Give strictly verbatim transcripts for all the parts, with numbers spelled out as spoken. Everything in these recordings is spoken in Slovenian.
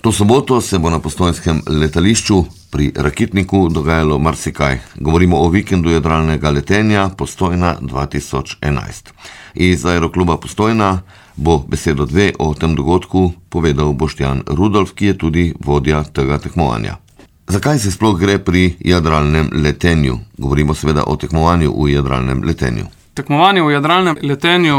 To soboto se bo na postojnskem letališču pri Rakitniku dogajalo marsikaj. Govorimo o vikendu jadralnega letenja Postojna dva tisoč enajst. Iz Aerokluba Postojna bo besedo dve o tem dogodku povedal Boštjan Rudolf, ki je tudi vodja tega tekmovanja. Zakaj se sploh gre pri jadralnem letenju? Govorimo seveda o tekmovanju v jadralnem letenju. Tekmovanje v jadralnem letenju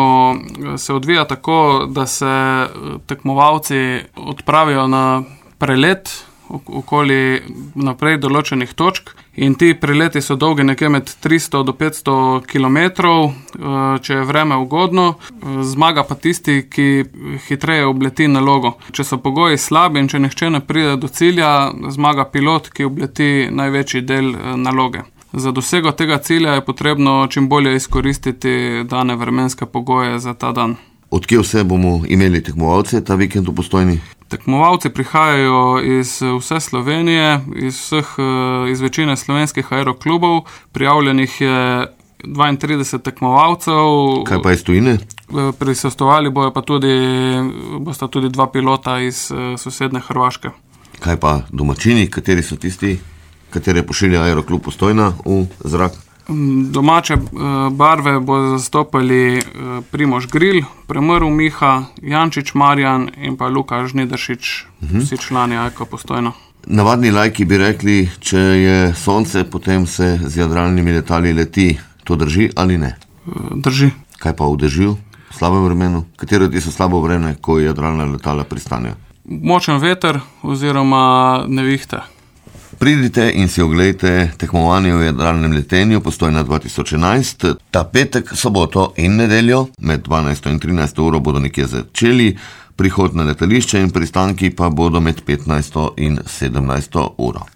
se odvija tako, da se tekmovalci odpravijo na prelet okoli naprej določenih točk in ti preleti so dolgi nekje med tristo do petsto kilometrov, če je vreme ugodno, zmaga pa tisti, ki hitreje obleti nalogo. Če so pogoji slabi in če nihče ne pride do cilja, zmaga pilot, ki obleti največji del naloge. Za dosego tega cilja je potrebno čim bolje izkoristiti dane vremenske pogoje za ta dan. Od kje vse bomo imeli tekmovalce ta vikend v Postojni? Tekmovalci prihajajo iz vse Slovenije, iz vseh, iz večine slovenskih aeroklubov. Prijavljenih je dvaintrideset tekmovalcev. Kaj pa iz tujine? Prisostvovali bojo pa tudi, bosta tudi dva pilota iz sosedne Hrvaške. Kaj pa domačini, kateri so tisti, katere pošilja Aeroklub Postojna v zrak? Domače barve bodo zastopali Primož Gril, Premrl Miha, Jančič Marjan in pa Luka Žnidaršič, uh-huh. Vsi člani Aeka Postojna. Navadni laiki bi rekli, če je sonce, potem se z jadralnimi letali leti. To drži ali ne? Drži. Kaj pa v dežju, v slabem vremenu? Katero ti so slabo vreme, ko jadralna letala pristanejo? Močen veter oziroma nevihte. Pridite in si oglejte tekmovanje v jadralnem letenju Postojna dva tisoč enajst. Ta petek, soboto in nedeljo med dvanajsto in trinajsto uro bodo nekje začeli, prihod na letališče in pristanki pa bodo med petnajsto in sedemnajsto uro.